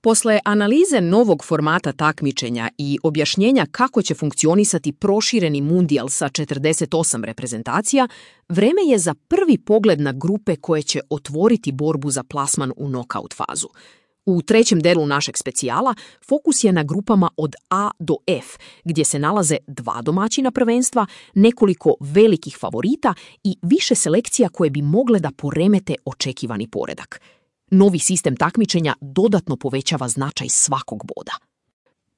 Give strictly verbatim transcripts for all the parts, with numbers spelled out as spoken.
Posle analize novog formata takmičenja i objašnjenja kako će funkcionisati prošireni mundijal sa četrdeset osam reprezentacija, vreme je za prvi pogled na grupe koje će otvoriti borbu za plasman u nokaut fazu. U trećem delu našeg specijala fokus je na grupama od A do F, gdje se nalaze dva domaćina prvenstva, nekoliko velikih favorita i više selekcija koje bi mogle da poremete očekivani poredak. Novi sistem takmičenja dodatno povećava značaj svakog boda.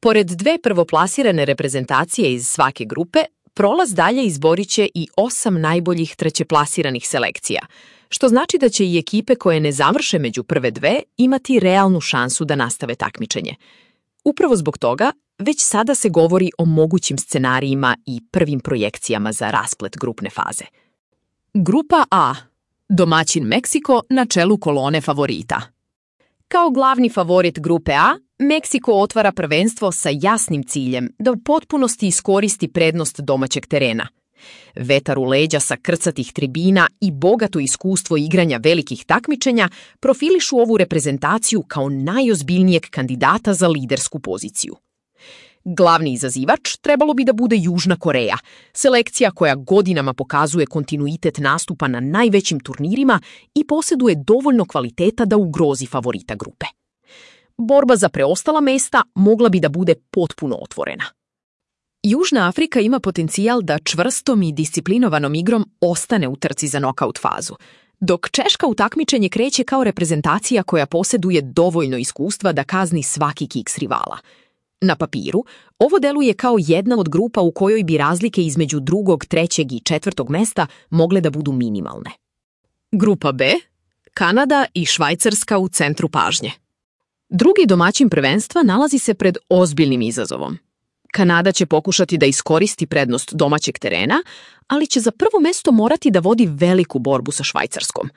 Pored dve prvoplasirane reprezentacije iz svake grupe, prolaz dalje izborit će i osam najboljih trećeplasiranih selekcija, što znači da će i ekipe koje ne završe među prve dve imati realnu šansu da nastave takmičenje. Upravo zbog toga, već sada se govori o mogućim scenarijima i prvim projekcijama za rasplet grupne faze. Grupa A. Domaćin Meksiko na čelu kolone favorita. Kao glavni favorit grupe A, Meksiko otvara prvenstvo sa jasnim ciljem da u potpunosti iskoristi prednost domaćeg terena. Vetar u leđa sa krcatih tribina i bogato iskustvo igranja velikih takmičenja profilišu ovu reprezentaciju kao najozbiljnijeg kandidata za lidersku poziciju. Glavni izazivač trebalo bi da bude Južna Koreja, selekcija koja godinama pokazuje kontinuitet nastupa na najvećim turnirima i posjeduje dovoljno kvaliteta da ugrozi favorita grupe. Borba za preostala mesta mogla bi da bude potpuno otvorena. Južna Afrika ima potencijal da čvrstom i disciplinovanom igrom ostane u trci za nokaut fazu, dok Češka u takmičenje kreće kao reprezentacija koja posjeduje dovoljno iskustva da kazni svaki kiks rivala. Na papiru, ovo deluje kao jedna od grupa u kojoj bi razlike između drugog, trećeg i četvrtog mesta mogle da budu minimalne. Grupa B. Kanada i Švajcarska u centru pažnje. Drugi domaćin prvenstva nalazi se pred ozbiljnim izazovom. Kanada će pokušati da iskoristi prednost domaćeg terena, ali će za prvo mesto morati da vodi veliku borbu sa Švajcarskom.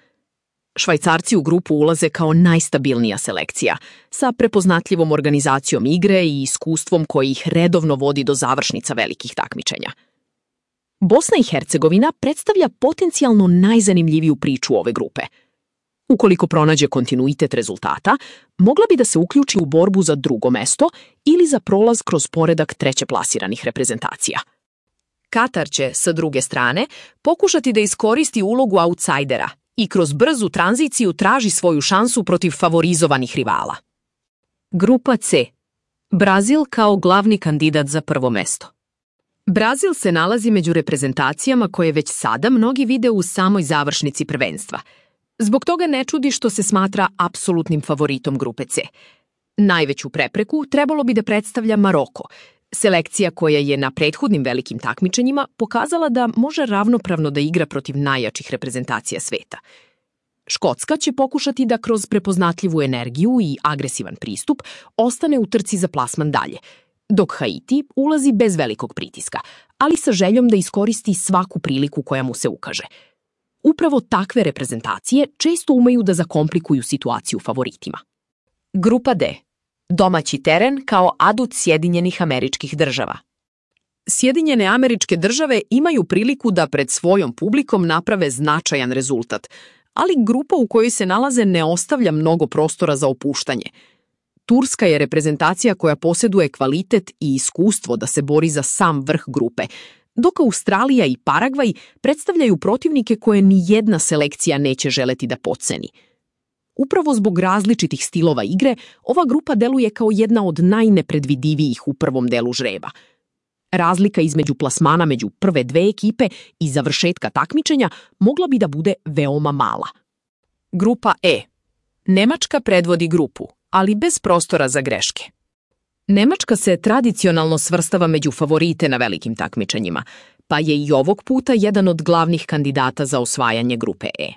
Švajcarci u grupu ulaze kao najstabilnija selekcija, sa prepoznatljivom organizacijom igre i iskustvom koji ih redovno vodi do završnica velikih takmičenja. Bosna i Hercegovina predstavlja potencijalno najzanimljiviju priču ove grupe. Ukoliko pronađe kontinuitet rezultata, mogla bi da se uključi u borbu za drugo mesto ili za prolaz kroz poredak trećeplasiranih reprezentacija. Katar će, sa druge strane, pokušati da iskoristi ulogu autsajdera i kroz brzu tranziciju traži svoju šansu protiv favorizovanih rivala. Grupa C. Brazil kao glavni kandidat za prvo mesto. Brazil se nalazi među reprezentacijama koje već sada mnogi vide u samoj završnici prvenstva. Zbog toga ne čudi što se smatra apsolutnim favoritom grupe C. Najveću prepreku trebalo bi da predstavlja Maroko, selekcija koja je na prethodnim velikim takmičenjima pokazala da može ravnopravno da igra protiv najjačih reprezentacija sveta. Škotska će pokušati da kroz prepoznatljivu energiju i agresivan pristup ostane u trci za plasman dalje, dok Haiti ulazi bez velikog pritiska, ali sa željom da iskoristi svaku priliku koja mu se ukaže. Upravo takve reprezentacije često umeju da zakomplikuju situaciju favoritima. Grupa D. Domaći teren kao adut Sjedinjenih Američkih Država. Sjedinjene Američke Države imaju priliku da pred svojom publikom naprave značajan rezultat, ali grupa u kojoj se nalaze ne ostavlja mnogo prostora za opuštanje. Turska je reprezentacija koja posjeduje kvalitet i iskustvo da se bori za sam vrh grupe, dok Australija i Paragvaj predstavljaju protivnike koje ni jedna selekcija neće želeti da potceni. Upravo zbog različitih stilova igre, ova grupa deluje kao jedna od najnepredvidivijih u prvom delu žreba. Razlika između plasmana među prve dve ekipe i završetka takmičenja mogla bi da bude veoma mala. Grupa E. Nemačka predvodi grupu, ali bez prostora za greške. Nemačka se tradicionalno svrstava među favorite na velikim takmičenjima, pa je i ovog puta jedan od glavnih kandidata za osvajanje grupe E.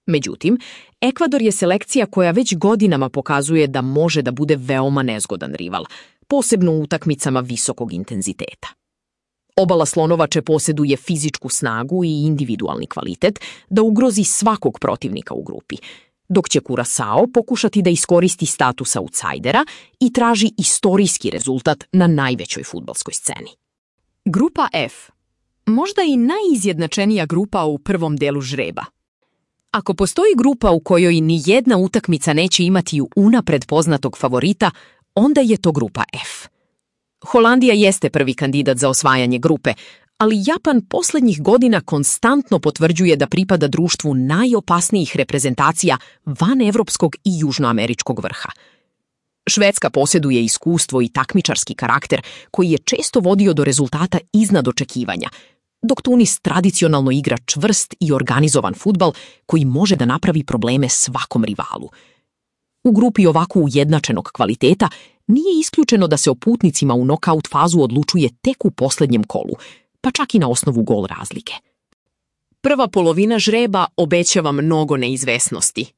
Međutim, Ekvador je selekcija koja već godinama pokazuje da može da bude veoma nezgodan rival, posebno u utakmicama visokog intenziteta. Obala Slonovače posjeduje fizičku snagu i individualni kvalitet da ugrozi svakog protivnika u grupi, dok će Curaçao pokušati da iskoristi status autsajdera i traži istorijski rezultat na najvećoj fudbalskoj sceni. Grupa F. Možda i najizjednačenija grupa u prvom delu žreba. Ako postoji grupa u kojoj ni jedna utakmica neće imati unapred poznatog favorita, onda je to grupa F. Holandija jeste prvi kandidat za osvajanje grupe, ali Japan posljednjih godina konstantno potvrđuje da pripada društvu najopasnijih reprezentacija van evropskog i južnoameričkog vrha. Švedska posjeduje iskustvo i takmičarski karakter koji je često vodio do rezultata iznad očekivanja, dok Tunis tradicionalno igra čvrst i organizovan fudbal koji može da napravi probleme svakom rivalu. U grupi ovako ujednačenog kvaliteta nije isključeno da se o putnicima u nokaut fazu odlučuje tek u posljednjem kolu, pa čak i na osnovu gol razlike. Prva polovina žreba obećava mnogo neizvesnosti.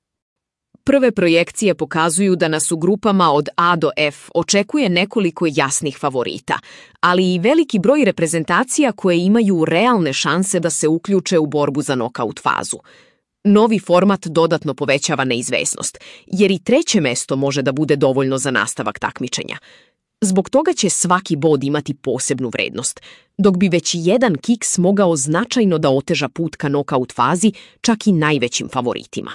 Prve projekcije pokazuju da nas u grupama od A do F očekuje nekoliko jasnih favorita, ali i veliki broj reprezentacija koje imaju realne šanse da se uključe u borbu za nokaut fazu. Novi format dodatno povećava neizvesnost, jer i treće mesto može da bude dovoljno za nastavak takmičenja. Zbog toga će svaki bod imati posebnu vrednost, dok bi već jedan kiks mogao značajno da oteža put ka nokaut fazi čak i najvećim favoritima.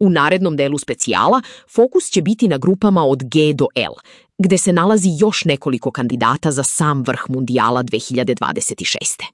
U narednom delu specijala fokus će biti na grupama od G do L, gde se nalazi još nekoliko kandidata za sam vrh mundijala dve hiljade dvadeset šeste.